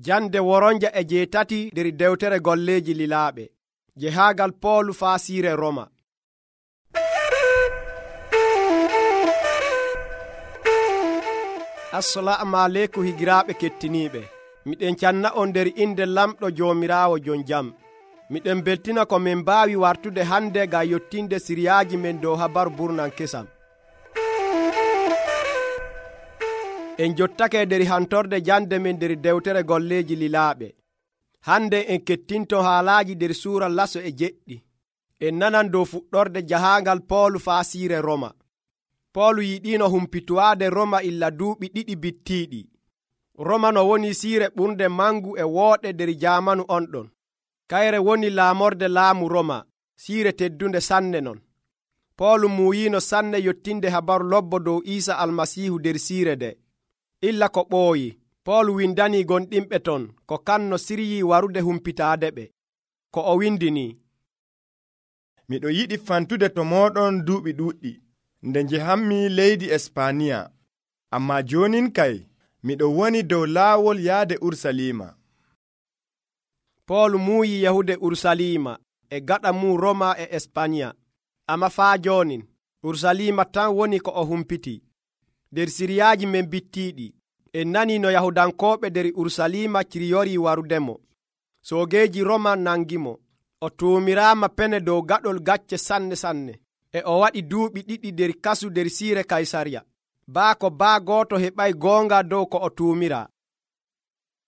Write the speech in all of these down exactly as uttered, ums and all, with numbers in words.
Jande woronja e jeetati nder dewtere golleeji lilaaɓe. Jehaagal Poolu faa siire Roma. Assalamu aleykum higiraaɓe kettiniiɓe. Miɗen canna on nder inde lamɗo Joomiraawo jon jam. Miɗen beltina ko min mbaawi wartude hande ngam yottinde siriyaaji men dow habaru burnan kesam. En jottake nder hantorde jande men nder dewtere golleeji lilaaɓe. Hande en kettinto haalaaji nder suura laso e jeɗɗi. En nanan dow fuɗɗorde jahaangal Poolu faa siire Roma. Poolu yiɗino humpitowaade Roma illa duuɓi ɗiɗi bittiiɗi. Roma no woni siire ɓurnde mangu e wooɗe nder jaamanu on ɗon. Kayre woni laamorde laamu Roma, siire teddunde sanne non. Poolu muuyiino sanne yottinde habaru lobbo dow Iisa Almasiihu nder siire de. Illa ko ɓooyi, Poolu windanii gonɗinɓe ton ko kanno siryii warude humpitaade ɓe. Ko o windini: Miɗo yiɗi fantude to mooɗon duuɓi ɗuuɗɗi, nde njehammi leydi Espaniya. Ammaa joonin kay, miɗo woni dow laawol yaade Urusalima. Poolu muuyi yahude Urusalima e gaɗa mum Roma e Espaniya. Amma faa joonin, Urusalima tan woni ko o humpiti. Nder siriyaaji men bittiiɗi, en nanii no Yahudankooɓe nder Urusalima ciryorii warudemo. Soogeeji Roma nangimo. O tuumiraama pene dow gaɗol gacce sanne sanne. E o waɗi duuɓi ɗiɗi nder kasu nder siire Kaysariya. Baa ko baa gooto heɓay goonga dow ko o tuumiraa.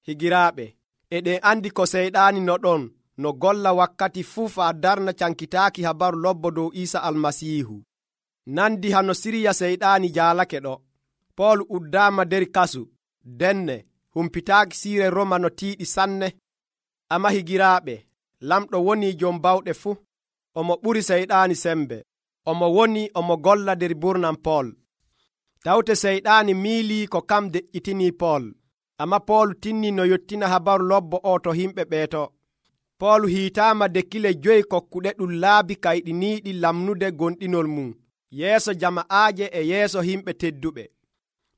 Higiraaɓe, eɗen andi ko seyɗaani no ɗon no golla wakkati fuu faa darna cankitaaki habaru lobbo dow Iisa Almasiihu. Nandi hano siriya seyɗaani jaalake ɗo. Poolu uddaama nder kasu, denne humpitaaki siire Roma no tiiɗi sanne. Amma higiraaɓe, lamɗo woni jom bawɗe fuu. Omo ɓuri seyɗaani sembe. Omo woni omo golla nder burnan Pool. Tawte seyɗaani miilii ko kam deƴƴitinii Pool. Amma Poolu tinni no yottina habaru lobbo o to himɓe ɓeeto. Poolu hiitaama dekkile joyi kokkuɗe ɗum laabi kayɗiniiɗi lamnude gonɗinol mum yeeso jama'aaje e yeeso himɓe tedduɓe.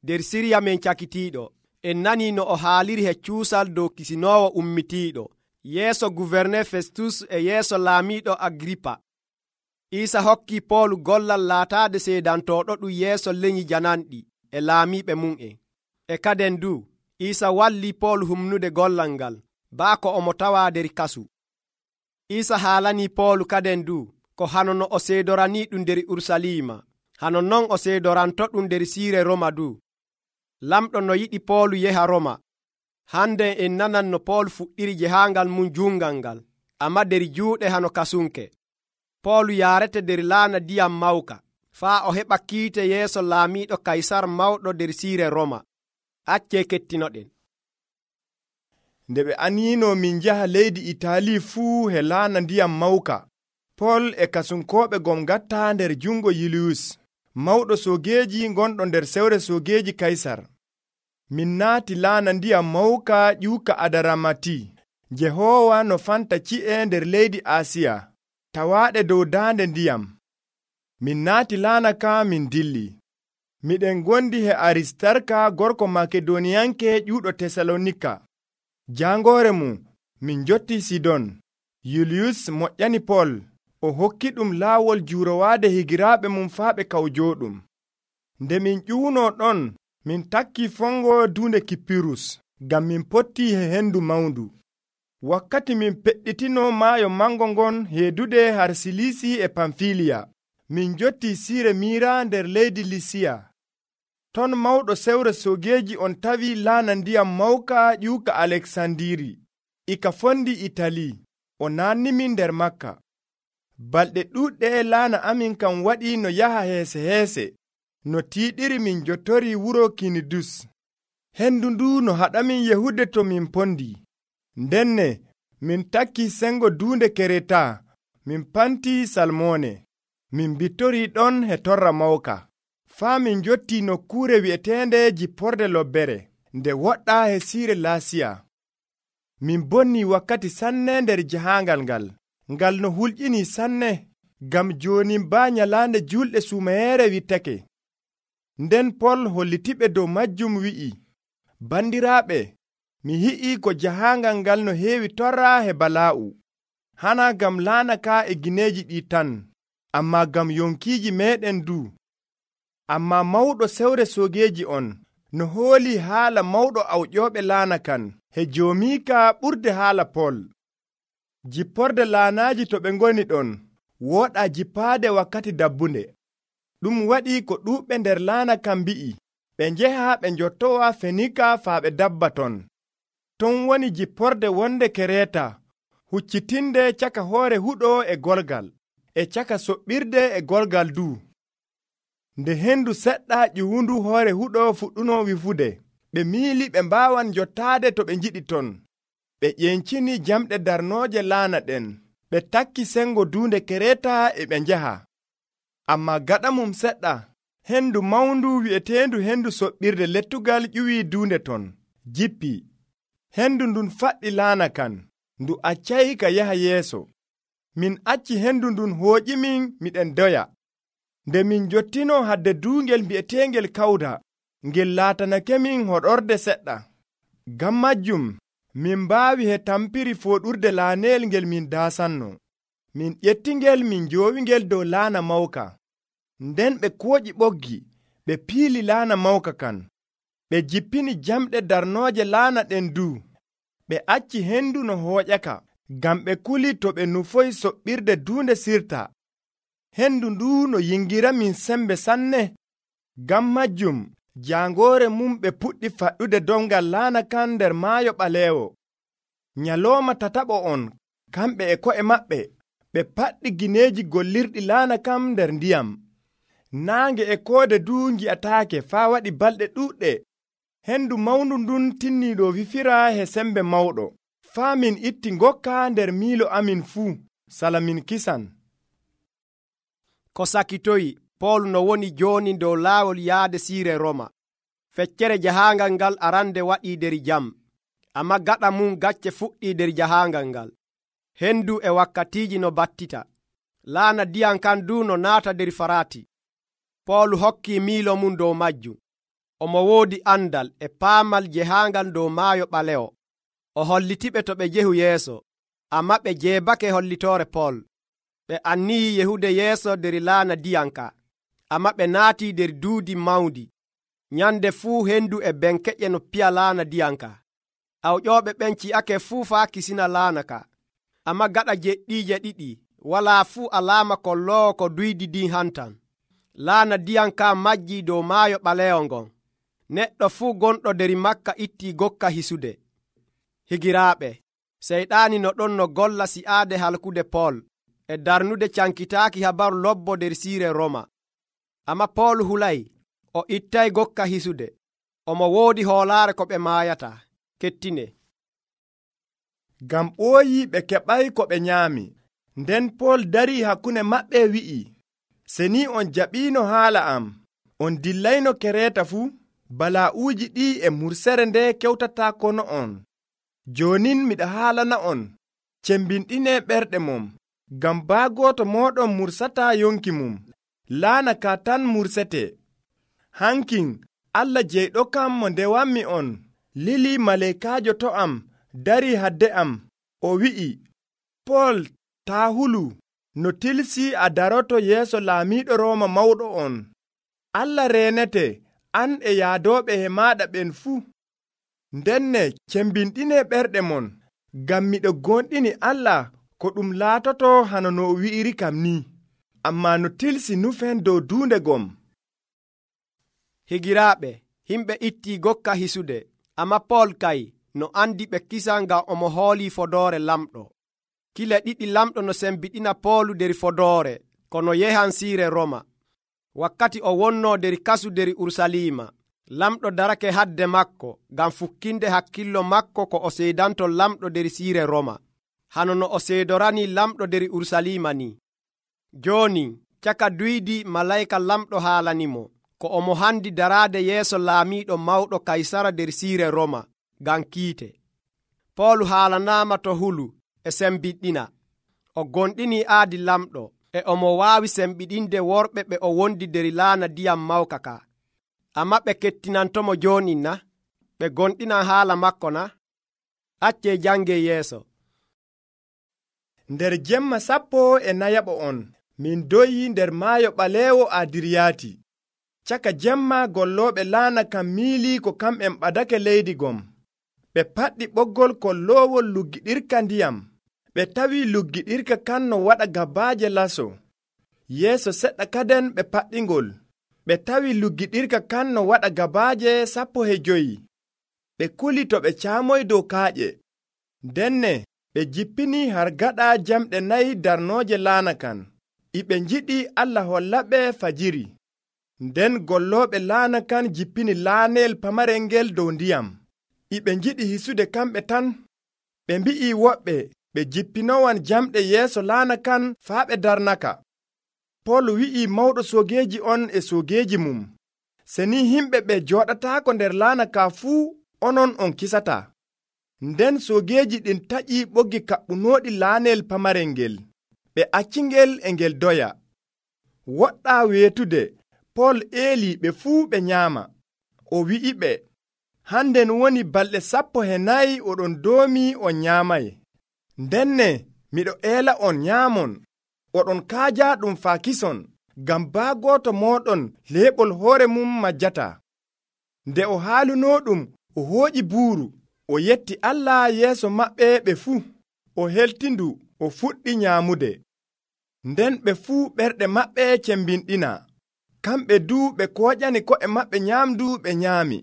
Nder siriya men cakitiiɗo, en nanii no o haaliri he cuusal dow kisinoowo ummitiiɗo yeeso guverne Festus e yeeso laamiiɗo Agripa. Iisa hokkii Poolu gollal laataade seedantooɗo ɗum yeeso leñi jananɗi e laamiiɓe mum'en. E kaden du, Iisa wallii Poolu humnude gollal ngal, baa ko omo tawaa nder kasu. Iisa haalanii Poolu kaden du ko hano no o seedoranii ɗum nder Urusalima, hano non o seedoranto ɗum nder siire Roma du. Lamɗo no yiɗi Poolu yeha Roma. Hande en nanan no Poolu fuɗɗiri jehaangal mum juungal ngal, amma nder juuɗe hano kasunke. Poolu yaarete nder laana ndiyam mawka, faa o heɓa kiite yeeso laamiiɗo Kaysar mawɗo nder siire Roma. Accee kettinoɗen. Nde ɓe aniino min njaha leydi Itali fuu he laana ndiyam mawka, Pool e kasunkooɓe gom gatta nder jungo Yuliyus, mawɗo soogeeji gonɗo nder sewre soogeeji Kaysar. Min naati laana ndiyam mawka ƴuuka Adaramati, Jehoowa no fanta ci'e nder leydi Asiya, tawaaɗe dow daande ndiyam. Min naati laana ka min dilli. Miɗen gondi he Aristarka gorko Makedoniyanke ƴuuɗo Tesalonika. Jangoore mum min jotti Sidon. Yuliyus moƴƴani Pool, o hokki ɗum laawol juurowaade higiraaɓe mum faa ɓe kawjooɗum. Nde min ƴuuno ɗon, min takki fongo duunde Kippirus, ngam min pottii he hendu mawndu. Wakkati min peɗɗitino maayo mango ngon heedude har Silisi e Pamfiliya, min jotti siire Miira nder leydi Lisiya. Ton mawɗo sewre soogeeji on tawi laana ndiyam mawka ƴuuka Aleksandiri, ika fondi Itali. O naannimin nder Makka. Balɗe ɗuuɗɗe laana amin kam waɗi no yaha heese heese, no tiiɗiri min jottori wuro Kinidus. Hendu ndu no haɗamin yehude to min pondi. Ndenne min takki sengo duunde Kereta, min panti Salmone. Min bittori ɗon he torra mawka, faa min jotti nokkuure wi'eteende Jipporde Lobbere, nde woɗɗa he siire Laasiya. Min bonni wakkati sanne nder jahaangal ngal, ngal no hulƴini sanne, ngam jooni baa nyalaande julɗe sumayeere wittake. Nden Pol hollitiɓe dow majjum wi'i: Bandiraaɓe, mi hi'i ko jahangal ngal no heewi torra he bala'u, hana gam laana ka e gineeji ɗi tan, amma gam yonkiiji meɗen du. Amma mawɗo sewre soogeeji on no hooli haala mawɗo awƴooɓe laana kan he joomiika ɓurde haala Pol. Jipporde laanaaji to ɓe ngoni ɗon wooɗa jippaade wakkati dabbunde. Ɗum waɗi ko ɗuuɓɓe nder laana kan mbi'i ɓe njeha ɓe njottowa Fenika faa ɓe dabba ton. Ton woni jipporde wonde Kereeta, huccitinde caka hoore huɗo e golgal, e caka soɓɓirde e golgal du. Nde hendu seɗɗa ƴiwundu hoore huɗo fuɗɗuno wifude, ɓe miili ɓe mbaawan jottaade to ɓe njiɗi ton. Ɓe ƴencini jamɗe darnooje laana ɗen, ɓe takki sengo duunde Kereeta e ɓe njaha. Amma gaɗa mum seɗɗa, hendu mawndu wi'eteendu hendu soɓɓirde lettugal ƴuwii duunde ton, jippi. Hendu ndun faɗɗi laana kan, ndu accayi ka yaha yeeso. Min acci hendu ndun hooƴimin miɗen doya. Nde min jottino hadde duungel mbi'eteengel Kawda, ngel laatanakemin hoɗorde seɗɗa. Ngam majjum, min mbaawi he tampiri fooɗurde laaneel ngel min daasanno. Min ƴettingel min njoowingel dow laana mawka. Nden ɓe kooƴi ɓoggi, ɓe piili laana mawka kan. Ɓe jippini jamɗe darnooje laana ɗen du. Ɓe acci hendu no hooƴaka, ngam ɓe kuli to ɓe nufoyi soɓɓirde duunde Sirta. Hendu ndu no yingira min sembe sanne. Ngam majjum, jaangoore mum ɓe puɗɗi faɗɗude dongal laana kan nder maayo ɓaleewo. Nyalooma tataɓo on, kamɓe e ko'e maɓɓe, ɓe paɗɗi gineeji gollirɗi laana kam nder ndiyam. Naange e koode du ngi'ataake faa waɗi balɗe ɗuuɗɗe. Hendu mawndu ndun tinniiɗo wifira he sembe mawɗo, faa min itti ngokka nder miilo amin fuu, sala min kisan. Ko sakitoyi Pol no woni jooni dow laawol yaade siire Roma. Feccere jahaangal ngal arande waɗii der jam, amma gaɗa mum gacce fuɗɗii der jahaangal ngal. Hendu e wakkatiiji no battita. Laana ndiyam kan du no naata der Faraati. Pol hokki miilo mum dow majjum. Omo woodi andal e paamal jehaangal dow maayo ɓalewo. O hollitiɓe to ɓe jehu yeeso, amma ɓe jeebake hollitoore Pol. Ɓe annii yehude yeeso der laana ndiyam ka, amma ɓe naatii der duudi mawndi. Nyande fuu hendu e benkeƴe no piya laana ndiyam ka. Awƴooɓe ɓen ci'ake fuu faa kisina laana ka, amma gaɗa jeɗɗiije ɗiɗi walaa fuu alaama kolloowo ko duydi din hantan. Laana ndiyam ka majjii dow maayo ɓaleewo ngon. Neɗɗo fuu gonɗo der makka ittii gokka hisude. Higiraaɓe, seyɗaani no ɗon no golla si'aade halkude Pol e darnude cankitaaki habaru lobbo der siire Roma. Amma Pol hulay, o ittay gokka hisude. Omo woodi hoolaare ko ɓe maayata. Kettine. Ngam ɓooyi ɓe keɓay ko ɓe nyaami. Nden Pol darii hakkunde maɓɓe wi'i, se ni on jaɓiino haala am, on dillayno Kereeta fuu, bala'uuji ɗi e mursere nde kewtataa kono on. Joonin miɗa haalana on, cembinɗinee ɓerɗe mum, ngam baagooto mooɗon mursataa yonki mum, laana ka tan mursete. Hankin Allah jeyɗo kam mo ndewanmi on, lili maleekaajo to am darii hadde am, o wi'i, Pol, taa hulu, no tilsi a daroto yeeso laamiiɗo Rooma mawɗo on. Allah reenete an e yaadooɓe he maaɗa ɓen fuu. Ndenne cembinɗinee ɓerɗe mon, ngam miɗo gonɗini Allah ko ɗum laatoto hano no o wi'iri kam ni, ammaa no tilsi nufen dow duunde gom. Higiraaɓe, himɓe ittii gokka hisude, amma Pol kay no andi ɓe kisa ngam omo hoolii fodoore lamɗo. Kile ɗiɗi lamɗo no sembiɗina Poolu der fodoore kono yehan siire Roma. Wakkati o wonnoo der kasu der Urusalima, lamɗo darake hadde makko ngam fukkinde hakkillo makko ko o seedanto lamɗo der siire Roma, hano no o seedorani lamɗo der Urusalima ni. Jooni caka duydi malayika lamɗo haalanimo ko omo handi daraade yeeso laamiiɗo mawɗo Kaysara der siire Roma ngam kiite. Poolu haalanaama to hulu e sembiɗɗina. O gonɗini aadi lamɗo e omo waawi sembiɗinde worɓe ɓe o wondi der laana ndiyam mawka ka. Amma ɓe kettinantomo jooni na? Ɓe gonɗinan haala makko na? Acce jange yeeso. Nder jemma sappo e nayaɓo on min doyi nder maayo ɓaleewo Adiriyati. Caka jemma gollooɓe laana kam miili ko kamɓen ɓadake leydi gom. Ɓe paɗɗi ɓoggol kolloowol luggiɗirka ndiyam. Ɓe tawi luggiɗirka kan no waɗa gabaaje laso. Yeeso seɗɗa kaden ɓe paɗɗingol. Ɓe tawi luggiɗirka kan no waɗa gabaaje sappo e joyi. Ɓe kuli to ɓe caamoy dow kaaƴe. Denne ɓe jippini har gaɗa jamɗe nayi darnooje laana kan. E ɓe njiɗi Allah hollaɓe fajiri. Nden gollooɓe laana kan jippini laaneel pamarel ngel dow ndiyam. E ɓe njiɗi hisude kamɓe tan. Ɓe mbi'i woɓɓe ɓe jippinowan jamɗe yeeso laana kan faa ɓe darnaka. Pol wi'i mawɗo soogeeji on e soogeeji mum, se ni himɓe ɓe jooɗataako nder laana ka fuu, onon on kisataa. Nden soogeeji ɗin taƴi ɓoggi kaɓɓunooɗi laaneel pamarel ngel. Ɓe accingel e ngel doya. Woɗɗaa weetude, Pol eeli ɓe fuu ɓe nyaama. O wi'iɓe, handen woni balɗe sappo e nayi oɗon doomi on nyaamay. Ndenne miɗo eela on nyaamon. Oɗon kaaja ɗum faa kison, ngam baa gooto mooɗon leeɓol hoore mum majjataa. Nde o haalunoo ɗum, o hooƴi buuru, o yetti Allah yeeso maɓɓe ɓe fuu. O heltindu, o fuɗɗi nyaamude. Nden ɓe fuu ɓerɗe maɓɓe cembinɗina. Kamɓe duu ɓe kooƴani ko'e maɓɓe nyaamdu ɓe nyaami.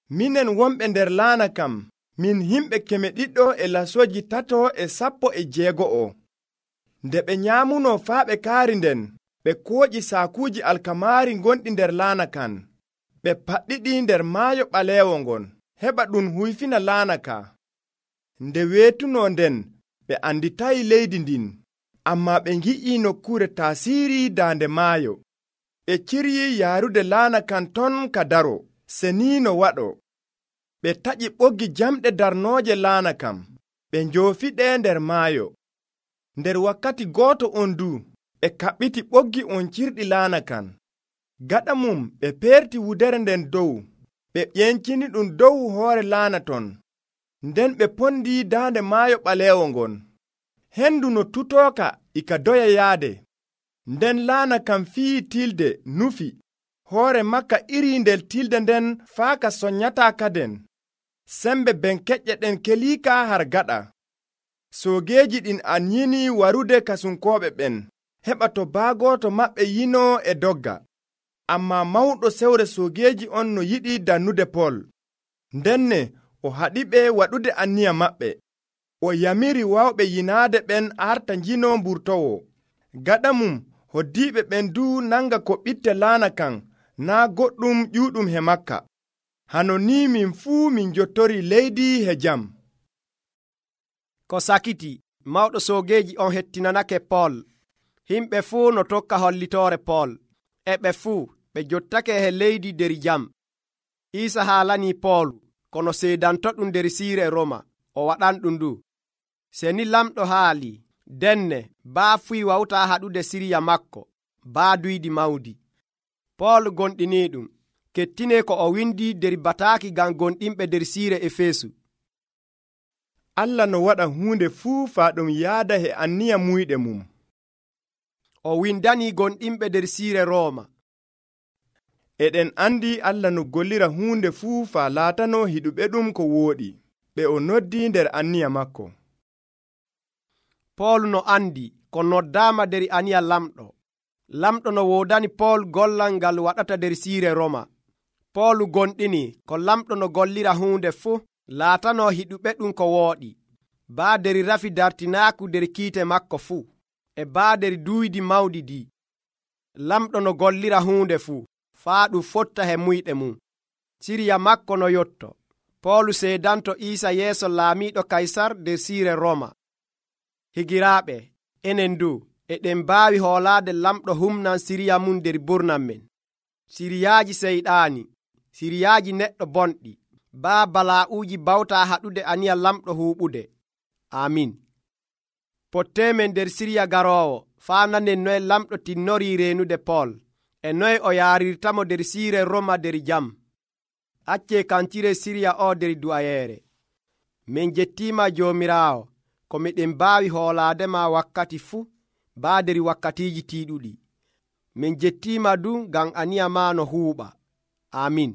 Minen wonɓe nder laana kam, min himɓe keme ɗiɗɗo e lasoji tato e sappo e jeego'o. Nde ɓe nyaamuno faa ɓe kaari nden, ɓe kooƴi saakuuji alkamaari gonɗi nder laana kan. Ɓe paɗɗiɗi nder maayo ɓaleewo ngon, heɓa ɗum huyfina laana ka. Nde weetuno nden, ɓe anditayi leydi ndin, ammaa ɓe ngi'i nokkuure taasiiri daande maayo. Ɓe ciryi yaarude laana kan ton ka daro, se ni no waɗo. Ɓe taƴi ɓoggi jamɗe darnooje laana kam, ɓe njoofiɗe nder maayo. Nder wakkati gooto on du, ɓe kaɓɓiti ɓoggi on cirɗi laana kan. Gaɗa mum ɓe peerti wudere nden dow, ɓe ƴencini ɗum dow hoore laana ton. Nden ɓe pondi daande maayo ɓaleewo ngon. Hendu no tutooka e ka doya yaade. Nden laana kam fii tilde nufi, hoore makka iri nder tilde nden faa ka soññataa kaden. Sembe benkeƴƴe ɗen keliika har gaɗa. Soogeeji ɗin anyini warude kasunkooɓe ɓen, heɓa to baagooto maɓɓe yinoo e dogga. Ammaa mawɗo sewre soogeeji on no yiɗi dannude Pol. Ndenne o haɗiɓe waɗude anniya maɓɓe. O yamiri wawɓe yinaade ɓen arta njino mburtowo. Gaɗa mum hoddiiɓe ɓen duu nanga ko ɓitte laana kan, naa goɗɗum ƴuuɗum he makka. Hano ni min fuu min jottori leydi he jam. Ko sakiti, mawɗo soogeeji on hettinanake Pol. Himɓe fuu no tokka hollitoore Pol. E ɓe fuu ɓe jottake he leydi der jam. Iisa haalanii Pol kono seedantoɗum nder siire Roma, o waɗanɗum ndu. Se ni lamɗo haali, denne baa fuy wawtaa haɗude siriya makko, baa duydi mawdi. Pol gonɗiniiɗum, kettinee ko o windi der bataaki ngam gonɗinɓe der siire Efeesu. Allah no waɗa huunde fuu faa ɗum yaada he anniya muyɗe mum. O windanii gonɗinɓe der siire Rooma. Eɗen andi Allah no gollira huunde fuu faa laatano hiɗuɓe ɗum ko wooɗi, ɓe o noddi nder anniya makko. Pol no andi ko noddaama der aniya lamɗo. Lamɗo no woodani Pol gollal ngal waɗata der siire Roma. Pol gonɗini ko lamɗo no gollira huunde fuu laatano hiɗuɓe ɗum ko wooɗi, baa der rafi dartinaaku der kiite makko fuu, e baa der duydi mawɗi di. Lamɗo no gollira huunde fuu faa ɗum fotta he muyɗe mum. Siriya makko no yotto. Pol seedanto Iisa yeeso laamiiɗo Kaysar der siire Roma. Higiraaɓe, enen du eɗen mbaawi hoolaade lamɗo humnan siriya mum der burnan men. Siriyaaji seyɗaani, siriyaaji neɗɗo bonɗi, baa balaa'uuji bawtaa haɗude aniya lamɗo huuɓude. Amin. Potteemen der siriya garoowo faa nanen noye lamɗo tinnorii reenude Pol, e noye o yaarirtamo der siire Roma der jam. Accee kancire siriya o der du'ayeere. min jettima joomiraawo ko miɗen mbaawi hoolaadema wakkati fuu baaderi wakkatiiji tiiɗuɗi. min jettima du ngam aniya ma no huuɓa. Amin.